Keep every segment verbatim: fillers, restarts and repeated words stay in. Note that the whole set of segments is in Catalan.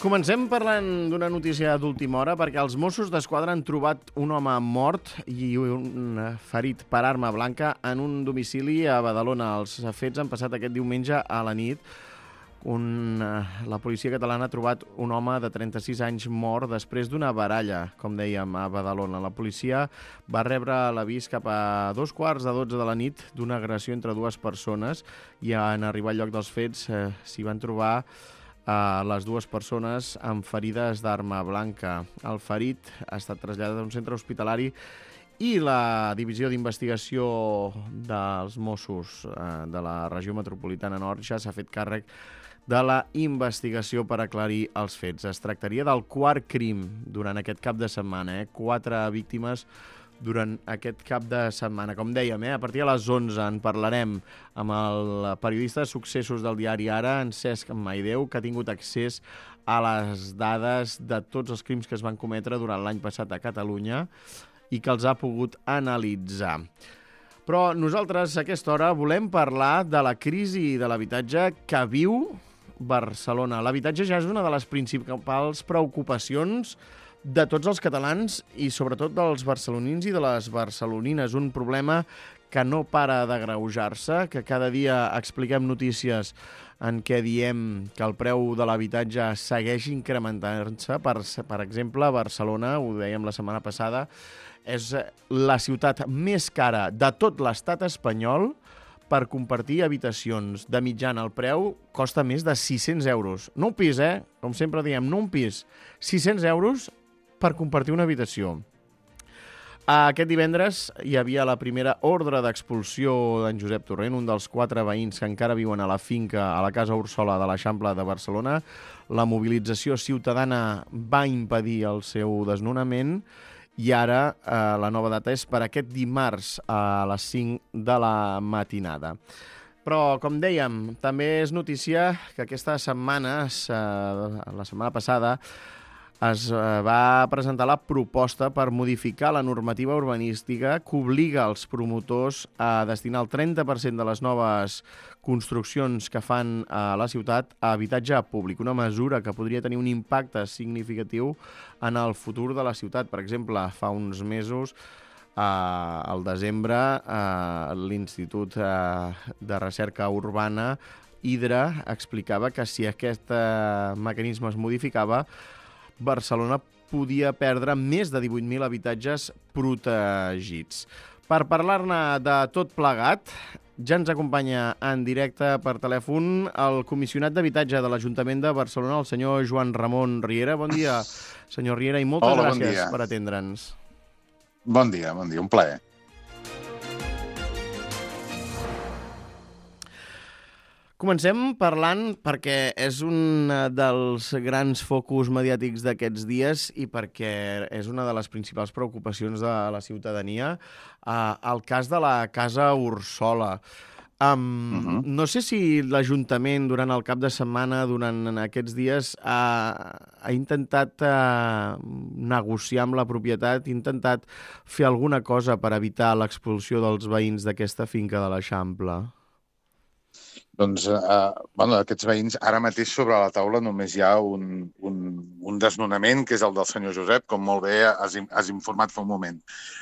Comencem parlant d'una notícia d'última hora perquè els Mossos d'Esquadra han trobat un home mort i un ferit per arma blanca en un domicili a Badalona. Els fets han passat aquest diumenge a la nit. Un, la policia catalana ha trobat un home de trenta-sis anys mort després d'una baralla, com dèiem, a Badalona. La policia va rebre l'avís cap a dos quarts de dotze de la nit d'una agressió entre dues persones i en arribar al lloc dels fets eh, s'hi van trobar a les dues persones amb ferides d'arma blanca. El ferit ha estat traslladat a un centre hospitalari i la Divisió d'Investigació dels Mossos eh, de la regió metropolitana nord ja s'ha fet càrrec de la investigació per aclarir els fets. Es tractaria del quart crim durant aquest cap de setmana. Eh? Quatre víctimes durant aquest cap de setmana. Com dèiem, eh? a partir de les onze en parlarem amb el periodista de successos del diari Ara, en Cesc Maideu, que ha tingut accés a les dades de tots els crims que es van cometre durant l'any passat a Catalunya i que els ha pogut analitzar. Però nosaltres a aquesta hora volem parlar de la crisi de l'habitatge que viu Barcelona. L'habitatge ja és una de les principals preocupacions de tots els catalans i sobretot dels barcelonins i de les barcelonines. Un problema que no para d'agreujar-se, que cada dia expliquem notícies en què diem que el preu de l'habitatge segueix incrementant-se. Per, per exemple, Barcelona, ho dèiem la setmana passada, és la ciutat més cara de tot l'estat espanyol per compartir habitacions. De mitjana, el preu costa més de sis-cents euros. No un pis, eh? Com sempre diem, no un pis. sis-cents euros per compartir una habitació. Aquest divendres hi havia la primera ordre d'expulsió d'en Josep Torrent, un dels quatre veïns que encara viuen a la finca, a la Casa Úrsula de l'Eixample de Barcelona. La mobilització ciutadana va impedir el seu desnonament i ara eh, la nova data és per aquest dimarts a les cinc de la matinada. Però, com dèiem, també és notícia que aquesta setmana, eh, la setmana passada, es va presentar la proposta per modificar la normativa urbanística que obliga els promotors a destinar el trenta per cent de les noves construccions que fan a la ciutat a habitatge públic, una mesura que podria tenir un impacte significatiu en el futur de la ciutat. Per exemple, fa uns mesos, eh, al desembre, eh, l'Institut eh, de Recerca Urbana, Hidra, explicava que si aquest eh, mecanisme es modificava, Barcelona podia perdre més de divuit mil habitatges protegits. Per parlar-ne de tot plegat, ja ens acompanya en directe per telèfon el comissionat d'habitatge de l'Ajuntament de Barcelona, el senyor Joan Ramon Riera. Bon dia, senyor Riera, i moltes Hola, gràcies bon per atendre'ns. Bon dia, bon dia, un plaer. Comencem parlant perquè és un dels grans focus mediàtics d'aquests dies i perquè és una de les principals preocupacions de la ciutadania, eh, el cas de la Casa Úrsula. Um, uh-huh. No sé si l'Ajuntament durant el cap de setmana, durant aquests dies, ha, ha intentat uh, negociar amb la propietat, ha intentat fer alguna cosa per evitar l'expulsió dels veïns d'aquesta finca de l'Eixample. Doncs, eh, bueno, aquests veïns, ara mateix sobre la taula només hi ha un, un, un desnonament, que és el del senyor Josep, com molt bé has, has informat fa un moment.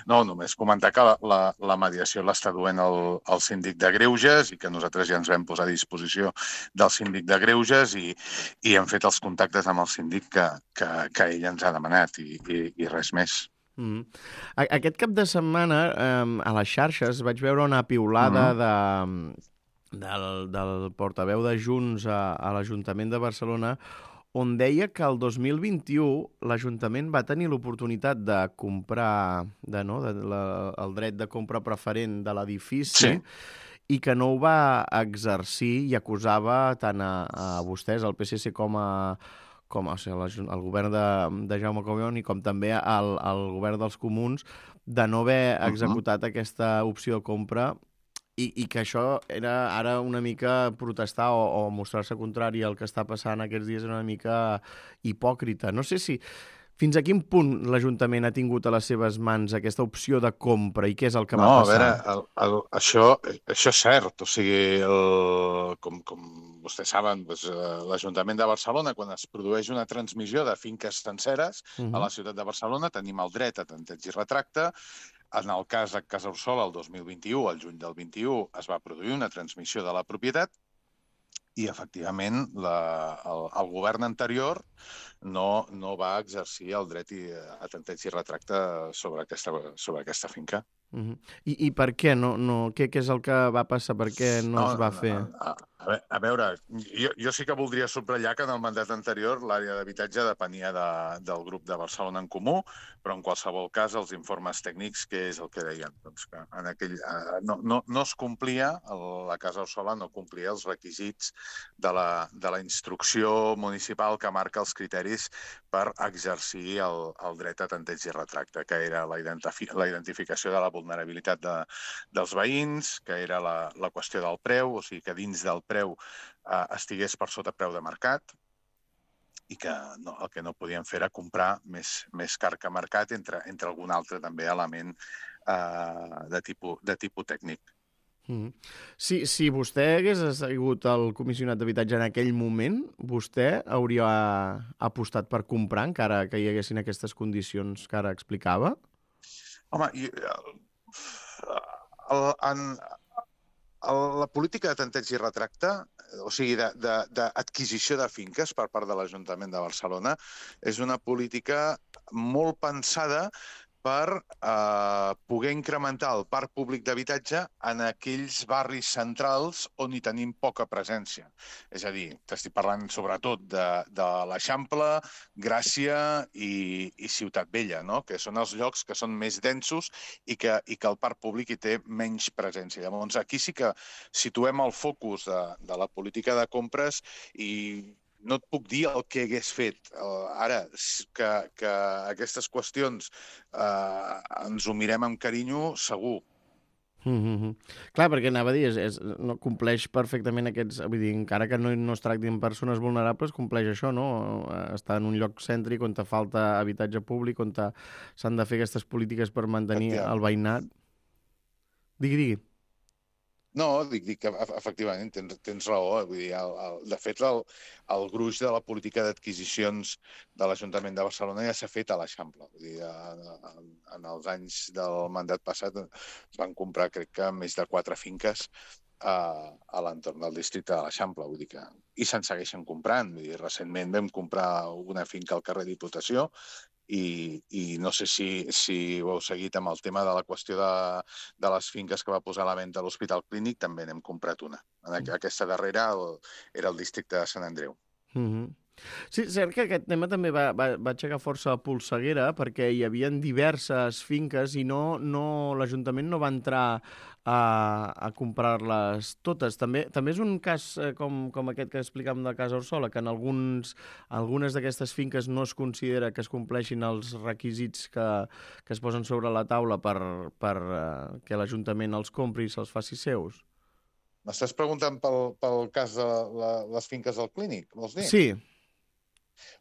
No, només comentar que la, la, la mediació l'està duent el, el síndic de Greuges i que nosaltres ja ens vam posar a disposició del síndic de Greuges i, i hem fet els contactes amb el síndic que, que, que ell ens ha demanat i, i, i res més. Mm. Aquest cap de setmana eh, a les xarxes vaig veure una piulada mm-hmm. de... Del, del portaveu de Junts a, a l'Ajuntament de Barcelona, on deia que el dos mil vint-i-u l'Ajuntament va tenir l'oportunitat de comprar, de, no, de, la, el dret de compra preferent de l'edifici, sí, i que no ho va exercir i acusava tant a, a vostès, al P S C, com a com a, o sigui, el govern de, de Jaume Collboni, com també al, al govern dels Comuns, de no haver executat uh-huh. aquesta opció de compra. I, i que això era ara una mica protestar o, o mostrar-se contrari al que està passant aquests dies, una mica hipòcrita. No sé si Fins a quin punt l'Ajuntament ha tingut a les seves mans aquesta opció de compra i què és el que No, va a passar? veure, el, el, això, això és cert. O sigui, el, com, com vostès saben, doncs, eh, l'Ajuntament de Barcelona, quan es produeix una transmissió de finques senceres Uh a -huh. la ciutat de Barcelona, tenim el dret a tanteig i retracte. En el cas de Casa Orsola, el dos mil vint-i-u, al juny del vint-i-u, es va produir una transmissió de la propietat i, efectivament, la, el, el govern anterior no, no va exercir el dret i, a tanteig i retracte sobre aquesta, sobre aquesta finca. Uh -huh. I, I per què? No, no, què, què és el que va passar? Per què no, no es va no, fer? A, a, a veure, jo, jo sí que voldria subratllar que en el mandat anterior l'àrea d'habitatge depenia de, del grup de Barcelona en Comú, però en qualsevol cas els informes tècnics, què és el que deien? Doncs que en aquell, eh, no, no, no es complia, el, la Casa Orsola no complia els requisits de la, de la instrucció municipal que marca els criteris per exercir el, el dret a tanteig i retracte, que era la, identifi la identificació de la vulnerabilitat de, dels veïns, que era la, la qüestió del preu, o sigui que dins del preu eh, estigués per sota preu de mercat i que no, el que no podien fer era comprar més, més car que mercat, entre, entre algun altre també element eh, de, tipus, de tipus tècnic. Mm. Si, si vostè hagués sigut el comissionat d'habitatge en aquell moment, vostè hauria apostat per comprar, encara que hi haguessin aquestes condicions que ara explicava? Home, i, el, en, el, la política de tanteig i retracte, o sigui, d'adquisició de, de, de finques per part de l'Ajuntament de Barcelona, és una política molt pensada per eh, poder incrementar el parc públic d'habitatge en aquells barris centrals on hi tenim poca presència. És a dir, t'estic parlant sobretot de, de l'Eixample, Gràcia i, i Ciutat Vella, no? Que són els llocs que són més densos i que, i que el parc públic hi té menys presència. Llavors, aquí sí que situem el focus de, de la política de compres i no et puc dir el que hagués fet. Uh, ara, que, que aquestes qüestions uh, ens ho mirem amb carinyo, segur. Mm-hmm. Clar, perquè anava a dir, és, és, no compleix perfectament aquests... Vull dir, encara que no, no es tractin persones vulnerables, compleix això, no? Està en un lloc cèntric on te falta habitatge públic, on s'han de fer aquestes polítiques per mantenir el veïnat. Digui, digui. No, dic, dic que efectivament tens, tens raó. Vull dir, el, el, de fet, el, el gruix de la política d'adquisicions de l'Ajuntament de Barcelona ja s'ha fet a l'Eixample. Vull dir, en, en els anys del mandat passat es van comprar, crec que, més de quatre finques a, a l'entorn del districte de l'Eixample. Vull dir que, i se'n segueixen comprant. Vull dir, recentment vam comprar una finca al carrer Diputació I, i no sé si, si ho heu seguit amb el tema de la qüestió de, de les finques que va posar a la venda a l'Hospital Clínic, també n'hem comprat una. Aquesta darrera el, era el districte de Sant Andreu. Mm-hmm. Sí, és cert que aquest tema també va, va, va aixecar força polseguera perquè hi havia diverses finques i no, no, l'Ajuntament no va entrar a, a comprar-les totes. També, també és un cas eh, com, com aquest que explicàvem de Casa Orsola, que en alguns, algunes d'aquestes finques no es considera que es compleixin els requisits que, que es posen sobre la taula per, per eh, que l'Ajuntament els compri i se'ls faci seus. M'estàs preguntant pel, pel cas de la, les finques del Clínic, vols dir? Sí.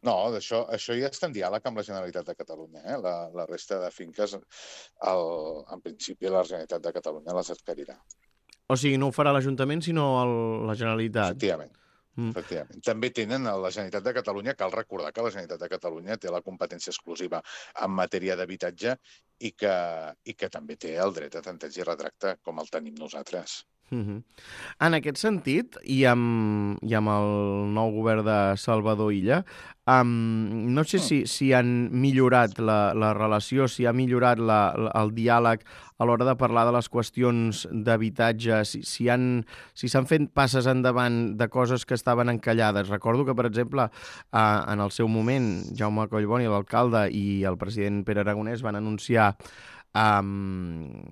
No, això, això ja està en diàleg amb la Generalitat de Catalunya. Eh? La, la resta de finques, el, en principi, la Generalitat de Catalunya les adquirirà. O sigui, no ho farà l'Ajuntament, sinó el, la Generalitat. Efectivament. Mm. Efectivament. També tenen a la Generalitat de Catalunya, cal recordar que la Generalitat de Catalunya té la competència exclusiva en matèria d'habitatge i, que, i que també té el dret a tanteig i retracte com el tenim nosaltres. Mm-hmm. En aquest sentit, i amb, i amb el nou govern de Salvador Illa, um, no sé si, si han millorat la, la relació, si ha millorat la, la, el diàleg a l'hora de parlar de les qüestions d'habitatge, si, si han si s'han fet passes endavant de coses que estaven encallades. Recordo que, per exemple, uh, en el seu moment, Jaume Collboni, l'alcalde, i el president Pere Aragonès van anunciar Um,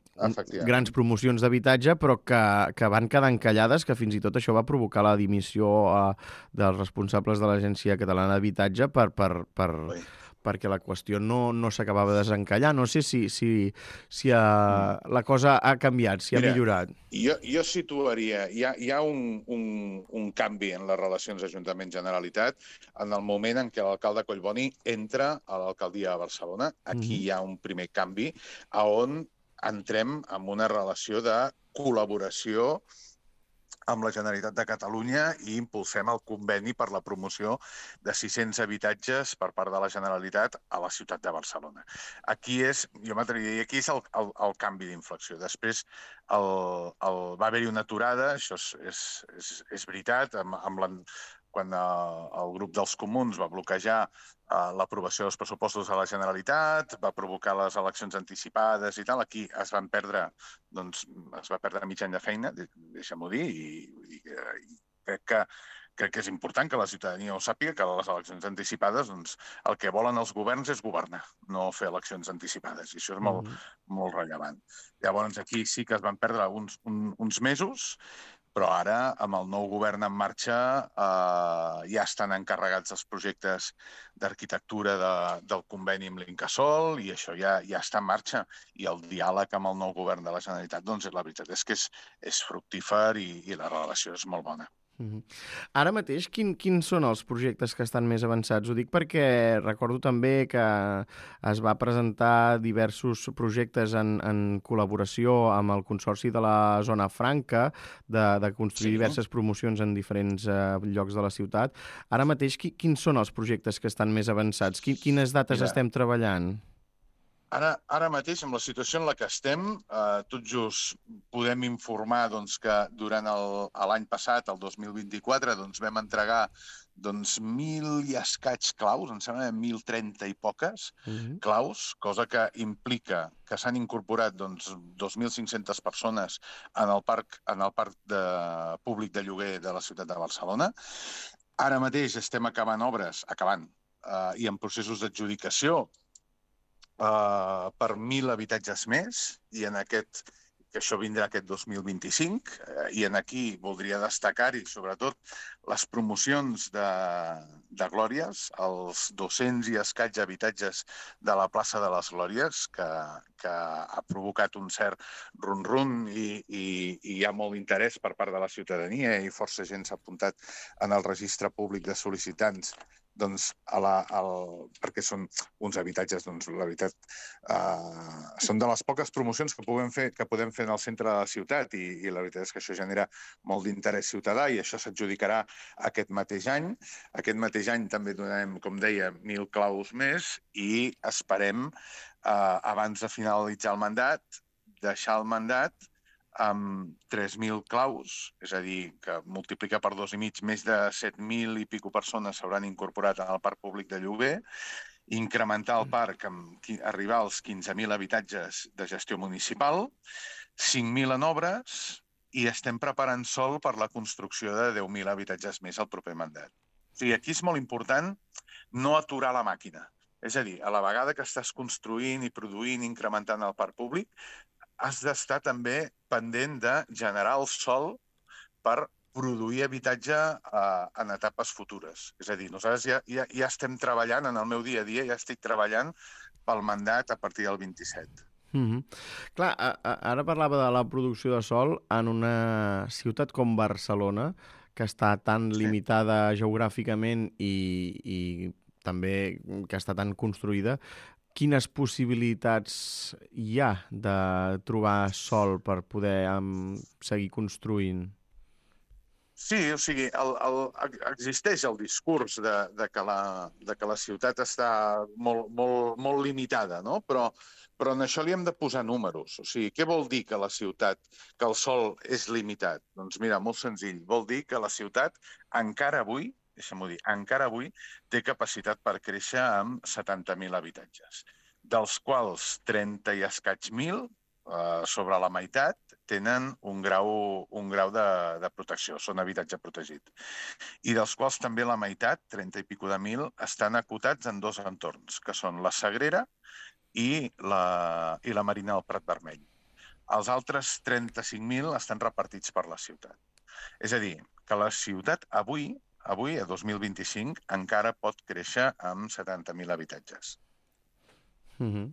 grans promocions d'habitatge, però que, que van quedar encallades, que fins i tot això va provocar la dimissió uh, dels responsables de l'Agència Catalana d'Habitatge per, per, per, perquè la qüestió no, no s'acabava de desencallar. No sé si, si, si ha, la cosa ha canviat, si Mira, ha millorat. Jo, jo situaria... Hi ha, hi ha un, un, un canvi en les relacions Ajuntament-Generalitat en el moment en què l'alcalde Collboni entra a l'alcaldia de Barcelona. Aquí Mhm. hi ha un primer canvi on entrem en una relació de col·laboració amb la Generalitat de Catalunya i impulsem el conveni per la promoció de sis-cents habitatges per part de la Generalitat a la ciutat de Barcelona. Aquí és, jo m'atreviria a dir, aquí és el, el, el canvi d'inflexió. Després el, el, va haver-hi una aturada, això és, és, és, és veritat, amb, amb la, quan el, el grup dels comuns va bloquejar uh, l'aprovació dels pressupostos de la Generalitat, va provocar les eleccions anticipades i tal. Aquí es van perdre, doncs, es va perdre mig any de feina, deixa'm-ho dir, i, i, i crec que crec que és important que la ciutadania ho sàpiga, que les eleccions anticipades, doncs, el que volen els governs és governar, no fer eleccions anticipades, i això és molt, Mhm. molt rellevant. Llavors, aquí sí que es van perdre uns, un, uns mesos, però ara, amb el nou govern en marxa, eh, ja estan encarregats els projectes d'arquitectura de, del conveni amb l'Incasòl i això ja, ja està en marxa. I el diàleg amb el nou govern de la Generalitat, doncs, la veritat és que és, és fructífer i, i la relació és molt bona. Mhm. Ara mateix, quin, quins són els projectes que estan més avançats? Ho dic perquè recordo també que es va presentar diversos projectes en, en col·laboració amb el Consorci de la Zona Franca, de, de construir Sí. diverses promocions en diferents eh, llocs de la ciutat. Ara mateix, qui, quins són els projectes que estan més avançats? Qui, quines dates Mira, estem treballant? Ara, ara mateix, amb la situació en la que estem, eh, tot just podem informar doncs, que durant el- l'any passat, el dos mil vint-i-quatre, doncs, vam entregar doncs, mil i escaig claus, em sembla mil trenta i poques Mhm. claus, cosa que implica que s'han incorporat doncs, dos mil cinc-centes persones en el parc, en el parc de, públic de lloguer de la ciutat de Barcelona. Ara mateix estem acabant obres, acabant, eh, i en processos d'adjudicació Uh, per mil habitatges més, i en aquest, que això vindrà aquest dos mil vint-i-cinc, uh, i en aquí voldria destacar-hi sobretot les promocions de, de Glòries, els dos-cents i escaig habitatges de la plaça de les Glòries, que, que ha provocat un cert run-run i, i, i hi ha molt interès per part de la ciutadania i força gent s'ha apuntat en el registre públic de sol·licitants doncs, a la, al, perquè són uns habitatges, doncs, la veritat, eh, són de les poques promocions que podem fer, que podem fer en el centre de la ciutat i, i la veritat és que això genera molt d'interès ciutadà i això s'adjudicarà aquest mateix any. Aquest mateix any també donarem, com deia, mil claus més i esperem, eh, abans de finalitzar el mandat, deixar el mandat amb tres mil claus, és a dir, que multiplica per dos i mig, més de set mil i pico persones s'hauran incorporat en el parc públic de lloguer, incrementar el parc, amb, arribar als quinze mil habitatges de gestió municipal, cinc mil en obres i estem preparant sòl per la construcció de deu mil habitatges més al proper mandat. O sigui, aquí és molt important no aturar la màquina. És a dir, a la vegada que estàs construint i produint, incrementant el parc públic, has d'estar també pendent de generar el sòl per produir habitatge eh, en etapes futures. És a dir, nosaltres ja, ja, ja estem treballant, en el meu dia a dia, ja estic treballant pel mandat a partir del vint-i-set. Mm-hmm. Clar, a, a, ara parlava de la producció de sol en una ciutat com Barcelona, que està tan Sí. limitada geogràficament i, i també que està tan construïda. Quines possibilitats hi ha de trobar sol per poder um, seguir construint? Sí, o sigui, el, el, existeix el discurs de, de, que la, de que la ciutat està molt, molt, molt limitada, no? Però, però en això li hem de posar números. O sigui, què vol dir que la ciutat, que el sòl és limitat? Doncs mira, molt senzill. Vol dir que la ciutat encara avui, deixa'm-ho dir, encara avui té capacitat per créixer amb setanta mil habitatges, dels quals trenta i escaig mil, eh, sobre la meitat, tenen un grau, un grau de, de protecció, són habitatge protegit. I dels quals també la meitat, trenta i pico de mil, estan acotats en dos entorns, que són la Sagrera i la, i la Marina del Prat Vermell. Els altres trenta-cinc mil estan repartits per la ciutat. És a dir, que la ciutat avui avui, a dos mil vint-i-cinc, encara pot créixer amb setanta mil habitatges. Uh -huh.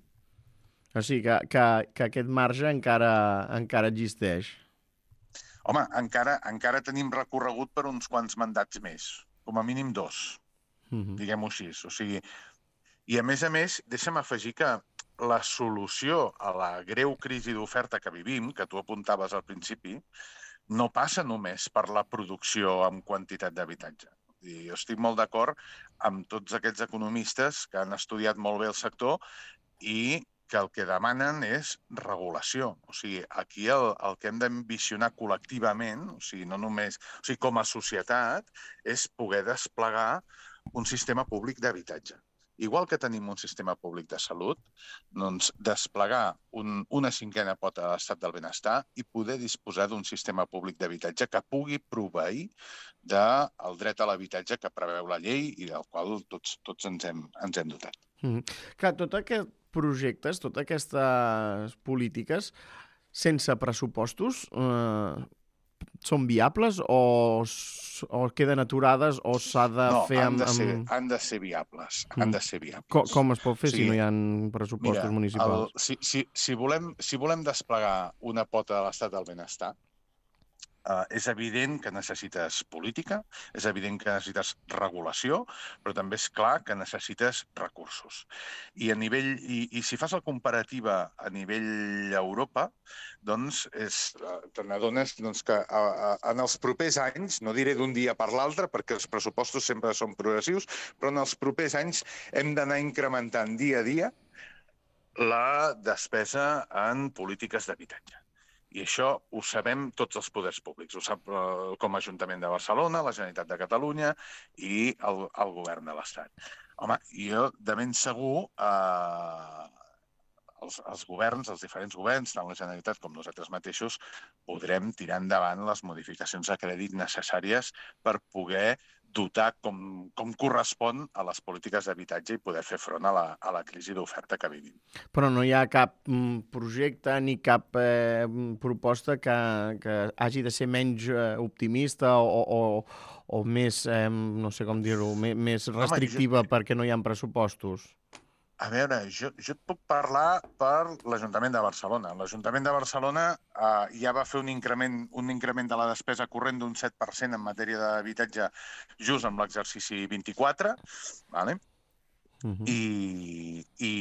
O sigui que, que, que aquest marge encara, encara existeix. Home, encara, encara tenim recorregut per uns quants mandats més, com a mínim dos, uh -huh. diguem-ho així. O sigui, i a més a més, deixa'm afegir que la solució a la greu crisi d'oferta que vivim, que tu apuntaves al principi, no passa només per la producció en quantitat d'habitatge. Jo estic molt d'acord amb tots aquests economistes que han estudiat molt bé el sector i que el que demanen és regulació. O sigui, aquí el, el que hem d'ambicionar col·lectivament, o sigui, no només, o sigui, com a societat, és poder desplegar un sistema públic d'habitatge. Igual que tenim un sistema públic de salut, doncs desplegar un, una cinquena pota de l'estat del benestar i poder disposar d'un sistema públic d'habitatge que pugui proveir del dret a l'habitatge que preveu la llei i del qual tots, tots ens, hem, ens hem dotat. Mm. Clar, tot aquest projectes, totes aquestes polítiques, sense pressupostos, eh, són viables o, o queden aturades o s'ha de no, fer amb... No, han, amb... han de ser viables. Mm. Han de ser viables. Com, com es pot fer, sí, si no hi ha pressupostos mira, municipals? El, si, si, si, volem, si volem desplegar una pota de l'estat del benestar, Uh, és evident que necessites política, és evident que necessites regulació, però també és clar que necessites recursos. I a nivell i, i si fas la comparativa a nivell Europa, doncs és, te n'adones doncs, que a, a, en els propers anys, no diré d'un dia per l'altre, perquè els pressupostos sempre són progressius, però en els propers anys hem d'anar incrementant dia a dia la despesa en polítiques d'habitatge. I això ho sabem tots els poders públics. Ho sap eh, com a Ajuntament de Barcelona, la Generalitat de Catalunya i el, el Govern de l'Estat. Home, jo de ben segur eh, els, els governs, els diferents governs, tant la Generalitat com nosaltres mateixos, podrem tirar endavant les modificacions de crèdit necessàries per poder dotar com, com correspon a les polítiques d'habitatge i poder fer front a la, a la crisi d'oferta que vivim. Però no hi ha cap mm, projecte ni cap eh, proposta que, que hagi de ser menys eh, optimista o, o, o més, eh, no sé com dir-ho, més, més restrictiva. Home, jo... perquè no hi ha pressupostos? A veure, jo, jo et puc parlar per l'Ajuntament de Barcelona. L'Ajuntament de Barcelona eh, ja va fer un increment, un increment de la despesa corrent d'un set per cent en matèria d'habitatge just amb l'exercici vint-i-quatre, vale? Uh-huh. I, i,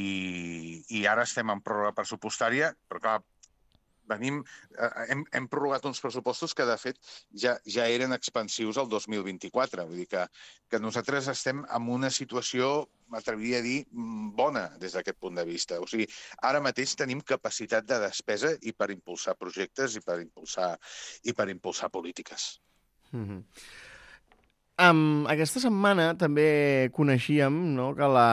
i ara estem en pròrroga pressupostària, però clar, venim, eh, hem, hem prorrogat uns pressupostos que, de fet, ja, ja eren expansius el dos mil vint-i-quatre. Vull dir que, que nosaltres estem en una situació, m'atreviria a dir, bona des d'aquest punt de vista. O sigui, ara mateix tenim capacitat de despesa i per impulsar projectes i per impulsar, i per impulsar polítiques. Mm-hmm. Um, aquesta setmana també coneixíem, no, que la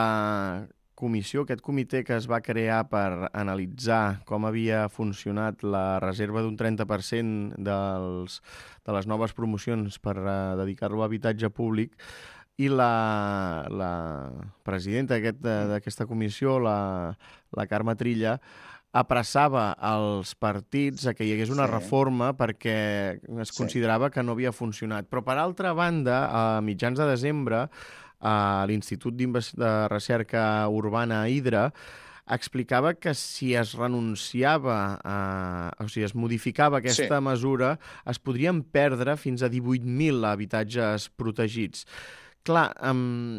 comissió, aquest comitè que es va crear per analitzar com havia funcionat la reserva d'un trenta per cent dels, de les noves promocions per uh, dedicar-lo a habitatge públic, i la, la presidenta d'aquesta comissió, la, la Carme Trilla, apressava els partits a que hi hagués una sí. reforma perquè es considerava sí. que no havia funcionat. Però, per altra banda, a mitjans de desembre, a l'Institut de Recerca Urbana Hidra explicava que si es renunciava, a, o sigui, es modificava aquesta sí. mesura, es podrien perdre fins a divuit mil habitatges protegits. Clar, um,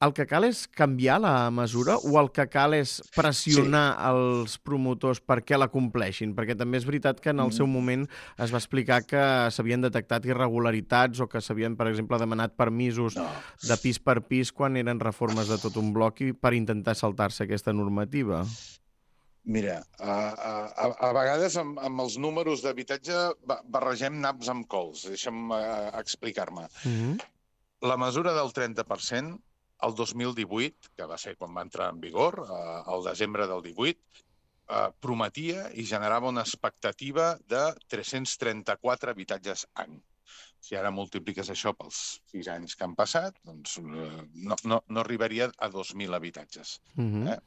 el que cal és canviar la mesura o el que cal és pressionar sí. els promotors perquè la compleixin? Perquè també és veritat que en el seu moment es va explicar que s'havien detectat irregularitats o que s'havien, per exemple, demanat permisos no. de pis per pis quan eren reformes de tot un bloc i per intentar saltar-se aquesta normativa. Mira, a, a, a vegades amb, amb els números d'habitatge barregem naps amb cols. Deixa'm uh, explicar-me. Mm-hmm. La mesura del trenta per cent, el dos mil divuit, que va ser quan va entrar en vigor, eh, el desembre del divuit, eh, prometia i generava una expectativa de tres-cents trenta-quatre habitatges any. Si ara multipliques això pels sis anys que han passat, doncs eh, no, no, no arribaria a dos mil habitatges. Mm-hmm. eh?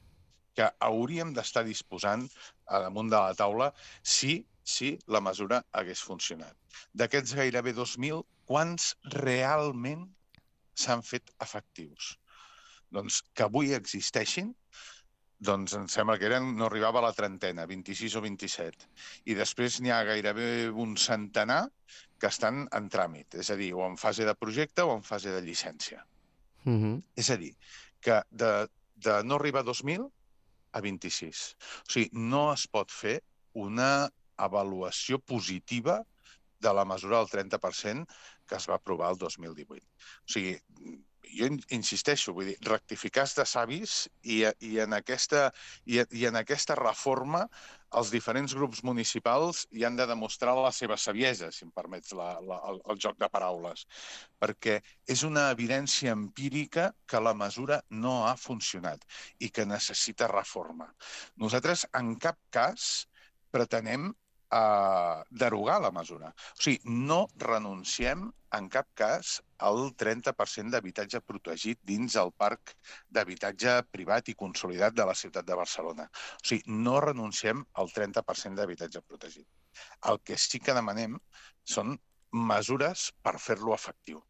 Que hauríem d'estar disposant a damunt de la taula si si la mesura hagués funcionat. D'aquests gairebé dos mil, quants realment s'han fet efectius? Doncs que avui existeixin, doncs em sembla que eren, no arribava a la trentena, vint-i-sis o vint-i-set. I després n'hi ha gairebé un centenar que estan en tràmit, és a dir, o en fase de projecte o en fase de llicència. Uh-huh. És a dir, que de, de no arribar a dos mil a vint-i-sis. O sigui, no es pot fer una avaluació positiva de la mesura del trenta per cent que es va aprovar el dos mil divuit. O sigui, jo insisteixo, vull dir, rectificar de savis i, i, en aquesta, i, i en aquesta reforma els diferents grups municipals hi han de demostrar la seva saviesa, si em permets la, la, el, el joc de paraules, perquè és una evidència empírica que la mesura no ha funcionat i que necessita reforma. Nosaltres en cap cas pretenem a derogar la mesura. O sigui, no renunciem en cap cas al trenta per cent d'habitatge protegit dins el parc d'habitatge privat i consolidat de la ciutat de Barcelona. O sigui, no renunciem al trenta per cent d'habitatge protegit. El que sí que demanem són mesures per fer-lo efectiu.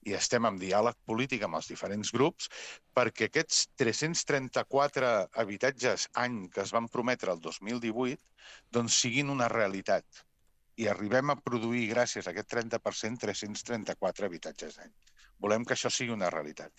I estem en diàleg polític amb els diferents grups perquè aquests tres-cents trenta-quatre habitatges any que es van prometre el dos mil divuit doncs siguin una realitat i arribem a produir, gràcies a aquest trenta per cent, tres-cents trenta-quatre habitatges d'any. Volem que això sigui una realitat.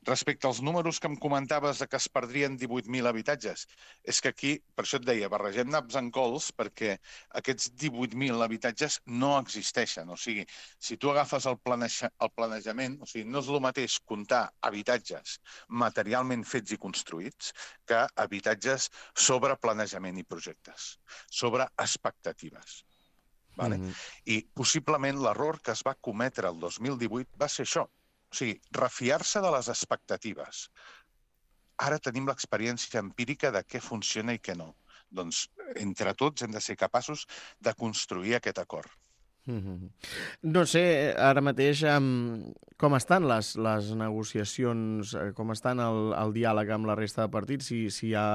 Respecte als números que em comentaves de que es perdrien divuit mil habitatges, és que aquí, per això et deia, barregem naps en cols perquè aquests divuit mil habitatges no existeixen. O sigui, si tu agafes el, planeja, el planejament, o sigui, no és el mateix comptar habitatges materialment fets i construïts que habitatges sobre planejament i projectes, sobre expectatives. Vale? Mm-hmm. I possiblement l'error que es va cometre el dos mil divuit va ser això. O sigui, refiar-se de les expectatives. Ara tenim l'experiència empírica de què funciona i què no. Doncs, entre tots, hem de ser capaços de construir aquest acord. Mm-hmm. No sé, ara mateix, um, com estan les, les negociacions, com estan el, el diàleg amb la resta de partits, si, si hi ha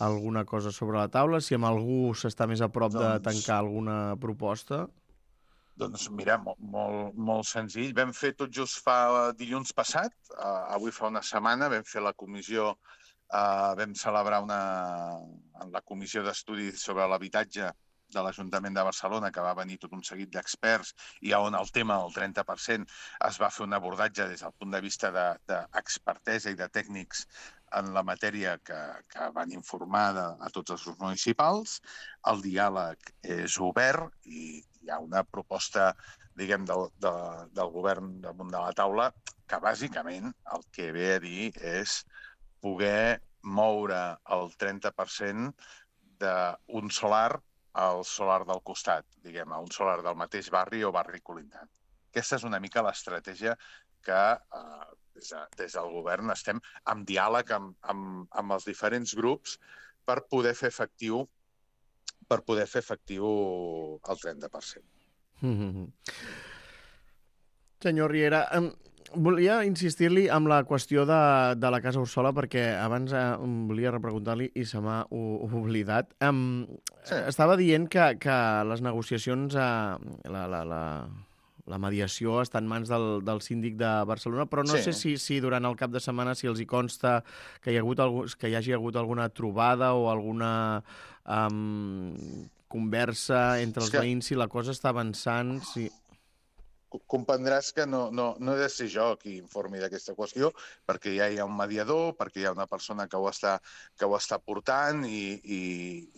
alguna cosa sobre la taula, si amb algú s'està més a prop doncs, de tancar alguna proposta? Doncs mira, molt, molt, molt senzill. Vam fer tot just fa dilluns passat, uh, avui fa una setmana, vam fer la comissió, uh, vam celebrar una, en la comissió d'estudi sobre l'habitatge de l'Ajuntament de Barcelona, que va venir tot un seguit d'experts i on el tema del trenta per cent es va fer un abordatge des del punt de vista d'expertesa de, de i de tècnics en la matèria que, que van informar de, a tots els grups municipals. El diàleg és obert i hi ha una proposta, diguem, del, de, del govern damunt de la taula que bàsicament el que ve a dir és poder moure el trenta per cent d'un solar al solar del costat, diguem, a un solar del mateix barri o barri colindant. Aquesta és una mica l'estratègia que eh, des, de, des del govern estem en diàleg amb, amb, amb els diferents grups per poder fer efectiu per poder fer efectiu el trenta per cent. Mm-hmm. Senyor Riera, um, volia insistir-li amb la qüestió de, de la Casa Ursola perquè abans eh, volia repreguntar-li i se m'ha oblidat. Um, sí. Estava dient que, que les negociacions, eh, la, la, la, la mediació està en mans del, del síndic de Barcelona, però no sí. sé si, si durant el cap de setmana si els hi consta que hi, ha hagut algú, que hi hagi hagut alguna trobada o alguna um, conversa entre els que... veïns, si la cosa està avançant... Si... Comprendràs que no, no, no he de ser jo qui informi d'aquesta qüestió, perquè ja hi ha un mediador, perquè hi ha una persona que ho està, que ho està portant i, i,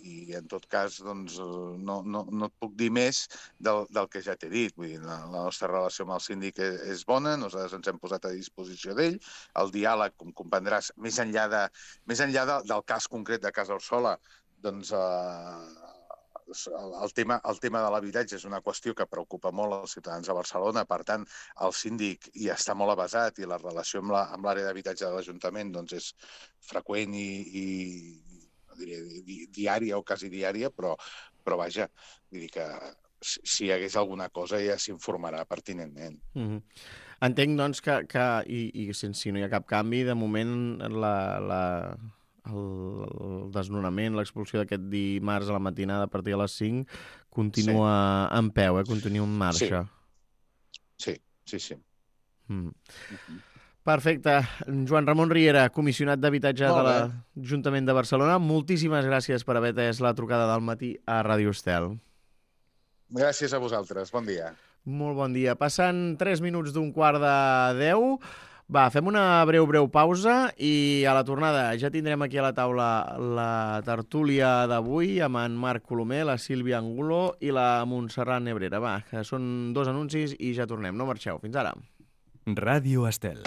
i en tot cas doncs, no, no, no et puc dir més del, del que ja t'he dit. Vull dir, la, la nostra relació amb el síndic és, és bona, nosaltres ens hem posat a disposició d'ell. El diàleg, com comprendràs, més enllà, de, més enllà de, del cas concret de Casa Ursola, doncs... Eh, El tema, el tema de l'habitatge és una qüestió que preocupa molt als ciutadans de Barcelona, per tant, el síndic hi està molt avesat i la relació amb l'àrea la, d'habitatge de l'Ajuntament doncs, és freqüent i, i no diré, di, diària o quasi diària, però, però vaja, vull dir que si, si hi hagués alguna cosa ja s'informarà pertinentment. Mm-hmm. Entenc, doncs, que, que i, i si no hi ha cap canvi, de moment la... la... el, el desnonament, l'expulsió d'aquest dimarts a la matinada a partir de les cinc, continua sí. en peu, eh? Continua en marxa. Sí, sí, sí. sí. Mm. Uh-huh. Perfecte. Joan Ramon Riera, comissionat d'habitatge de l'Ajuntament de Barcelona, moltíssimes gràcies per haver atès la trucada del matí a Ràdio Estel. Gràcies a vosaltres. Bon dia. Molt bon dia. Passant tres minuts d'un quart de deu. Va, fem una breu, breu pausa i a la tornada ja tindrem aquí a la taula la tertúlia d'avui amb en Marc Colomer, la Sílvia Angulo i la Montserrat Nebrera. Va, que són dos anuncis i ja tornem. No marxeu. Fins ara. Ràdio Estel.